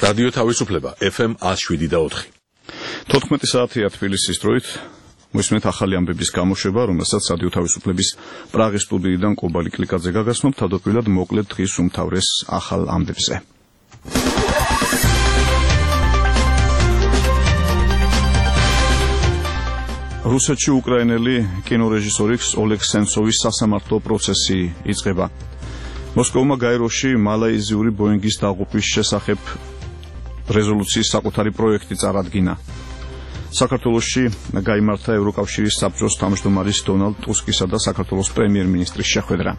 რადიო თავისუფლება FM 107.4. 14 საათია თბილისის დროით. მოისმენთ ახალი ამბების გამოშვება, რომელსაც რადიო თავისუფლების პრაღის სტუდიიდან კობალი კლიკაძე გაგაცნობ, თავდაპირველად მოკლედ დღის უმთავრეს ახალ ამბებზე. რუსეთში უკრაინელი კინორეჟისორი ოლეგ სენცოვის სასამართლო პროცესი იწყება. მოსკოვმა გაეროში მალაიზიური ბოინგის დაღუპვის შესახებ რეზოლუციის საკუთარი პროექტი წარადგინა. საქართველოში გაიმართა ევროკავშირის საბჭოს თავმჯდომარის დონალდ ტუსკისა და საქართველოს პრემიერ-მინისტრის შეხვედრა.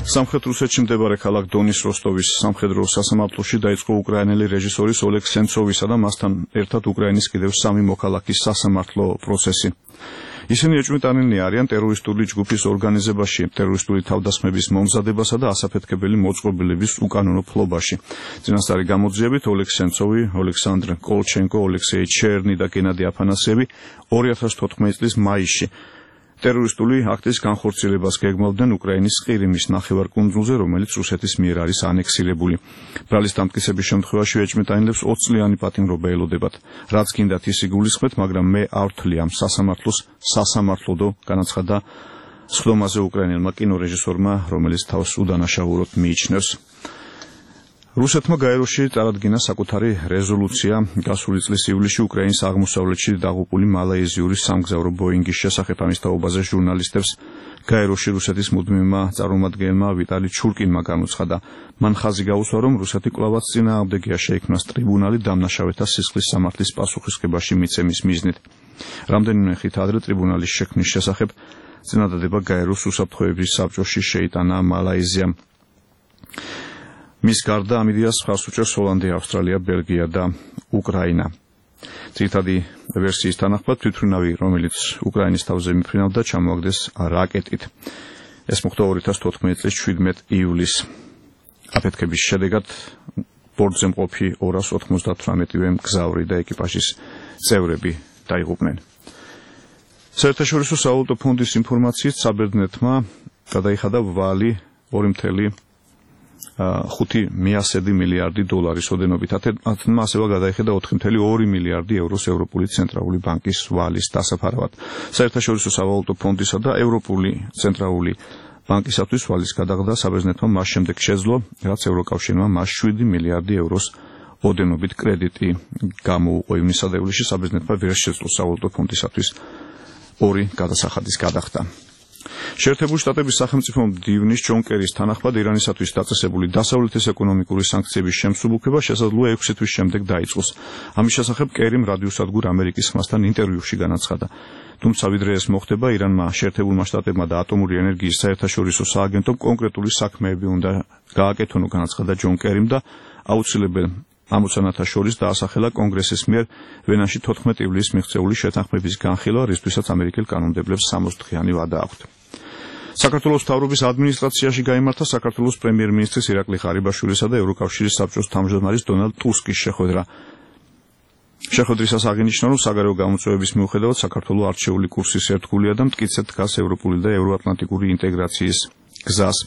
სამხრეთ რუსეთში მდებარე ქალაქ დონის როსტოვის სამხედრო სასამართლოში დაიწყო უკრაინელი რეჟისორის ოლეგ სენცოვისა და მასთან ერთად უკრაინის კიდევ 3 მოქალაქის სასამართლო პროცესი. ისინი ეჭვმიტანილნი არიან ტერორისტული ჯგუფის ორგანიზებაში, ტერორისტული თავდასხმების მომზადებასა და ასაფეთქებელი მოწყობილების უკანონო ფლობაში. წინასწარი გამოძიებით ოლეგ სენცოვი, ოლექსანდრ კოლჩენკო, ოლექსეი ჩერნი და გენადი აფანასიევი 2014 წლის მაისში ტერორისტული აქტის განხორციელებას გეგმავდნენ უკრაინის ყირიმის ნახევარკუნძულზე, რომელიც რუსეთის მიერ არის ანექსირებული. ბრალის დამტკიცების შემთხვევაში ეჭვმიტანილებს 20 წლიანი პატიმრობა ელოდებათ. რაც გინდათ ის იგულისხმეთ, მაგრამ მე არ ვთვლი ამ სასამართლოს სასამართლოდო, განაცხადა სხდომაზე უკრაინელმა კინორეჟისორმა, რომელიც თავს უდანაშაულოდ მიიჩნევს. რუსეთმა გაეროში წარადგინა საკუთარი რეზოლუცია გასული წლის ივლისში უკრაინის აღმოსავლეთში დაღუპული მალაიზიური სამგზავრო ბოინგის შესახებ. ამის თაობაზე ჟურნალისტებს გაეროში რუსეთის მუდმივმა წარმომადგენელმა ვიტალი ჩურკინმა განუცხადა. მან ხაზი გაუსვა, რომ რუსეთი კვლავაც წინააღმდეგია შეიქმნას ტრიბუნალი დამნაშავეთა სისხლის სამართლის პასუხისმგებაში მიცემის მიზნით. რამდენიმე ხით ადრე ტრიბუნალის შექმნის შესახებ წინადადება გაეროს უსაფრთხოების საბჭოში შეიტანა მალაიზიამ. მის გარდა ამ იდეას ხარს უჭერს ჰოლანდია, ავსტრალია, ბელგია და უკრაინა. ძირითადი ვერსიის თანახმად თვითმფრინავი, რომელიც უკრაინის თავზე მიფრინავდა, ჩამოაგდეს რაკეტით. ეს მოხდა 2014 წლის 17 ივლისს. აფეთქების შედეგად ბორტზე მყოფი 298 მგზავრი და ეკიპაჟის წევრები დაიღუპნენ. საერთაშორისო სავალუტო ფონდის ინფორმაციით საბერძნეთმა გადაიხადა ვალი 2.5 მილიარდი დოლარის ოდენობით. ათენმა ასევე გადაიხადა 4.2 მილიარდი ევროს ევროპული ცენტრალური ბანკის ვალის დასაფარავად. საერთაშორისო სავალუტო ფონდისა და ევროპული ცენტრალური ბანკისათვის ვალის გადაღდა საბერძნეთმა მას შემდეგ შეძლო, რაც ევროკავშირმა მას 7 მილიარდი ევროს ოდენობით კრედიტი გამოუყო. ივნისსა და ივლისში საბერძნეთმა ვერ შეძლო სავალუტო ფონდისათვის 2 გადასახადის გადახდა. შეერთებული შტატების სახელმწიფო მდივნის ჯონ კერის თანახმად ირანისათვის დაწესებული დასავლეთის ეკონომიკური სანქციების შემსუბუქება შესაძლოა 6 თვის შემდეგ დაიწყოს. ამის შესახებ კერიმ რადიოსადგურ ამერიკის ხმასთან ინტერვიუში განაცხადა. თუმცა ვიდრე ეს მოხდება, ირანმა, შეერთებულმა შტატებმა და ატომური ენერგიის საერთაშორისო სააგენტომ კონკრეტული საქმეები უნდა გააკეთონ, განაცხადა ჯონ კერიმ და აუცილებელ ამოცანათა შორის დაასახელა კონგრესის მიერ ვენაში 14 ივლისს მიღწეული შეთანხმების განხილვა, რისთვისაც ამერიკელ კანონმდებლებს 60 დღიანი ვადა აქვთ. საქართველოს მთავრობის ადმინისტრაციაში გაიმართა საქართველოს პრემიერ-მინისტრის ირაკლი ღარიბაშვილისა და ევროკავშირის საბჭოს თავმჯდომარის დონალდ ტუსკის შეხვედრა. შეხვედრისას აღინიშნა, რომ საგარეო გამოწვევების მიუხედავად საქართველოს არჩეული კურსის ერთგულია და მტკიცედ დგას ევროპული და ევროატლანტიკური ინტეგრაციის გზას.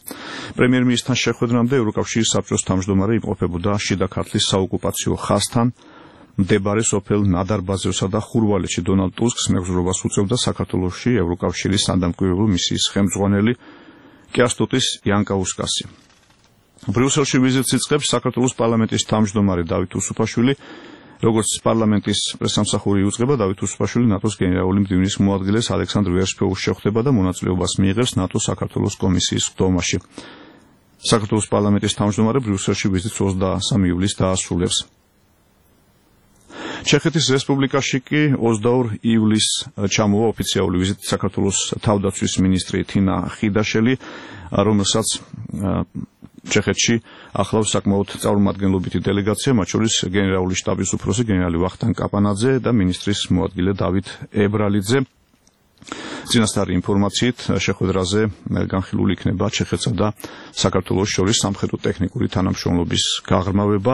პრემიერ-მინისტრთან შეხვედრამდე ევროკავშირის საბჭოს თავმჯდომარე იმყოფებოდა შიდა ქართლის საოკუპაციო ხაზთან მდებარე სოფელ ნადარბაზევსა და ხურვალეთში. დონალდ ტუსკს მეგზურობას უწევდა საქართველოში ევროკავშირის სანდამკვირვებლო მისიის ხელმძღვანელი კიასტუტის იანკაუსკასი. ბრიუსელში ვიზიტს იწყებს საქართველოს პარლამენტის თავმჯდომარე დავით უსუფაშვილი. როგორც პარლამენტის პრესამსახური იუწყება, დავით უსუფაშვილი ნატოს გენერალური მდივნის მოადგილეს ალექსანდრ ვერსფეულს შეხვდება და მონაწილეობას მიიღებს ნატოს საქართველოს კომისიის ხდომაში. საქართველოს პარლამენტის თავმჯდომარე ბრიუსელში ვიზიტს 23 ივლისს დაასრულებს. ჩეხეთის რესპუბლიკაში კი 22 ივლისს ჩამოვა ოფიციალური ვიზიტით საქართველოს თავდაცვის მინისტრი თინა ხიდაშელი, რომელსაც ჩეხეთში ახლავს საკმაოდ წარმომადგენლობითი დელეგაცია, მათ შორის გენერალური შტაბის უფროსი გენერალი ვახტანგ კაპანაძე და მინისტრის მოადგილე დავით ებრალიძე. წინასწარი ინფორმაციით შეხვედრაზე განხილული იქნება ჩეხეთსა და საქართველოს შორის სამხედრო ტექნიკური თანამშრომლობის გაღრმავება.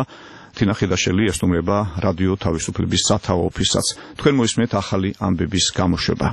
თინა ხიდაშელი ესტუმრება რადიო თავისუფლების სათაო ოფისსაც. თქვენ მოისმენთ ახალი ამბების გამოშვება.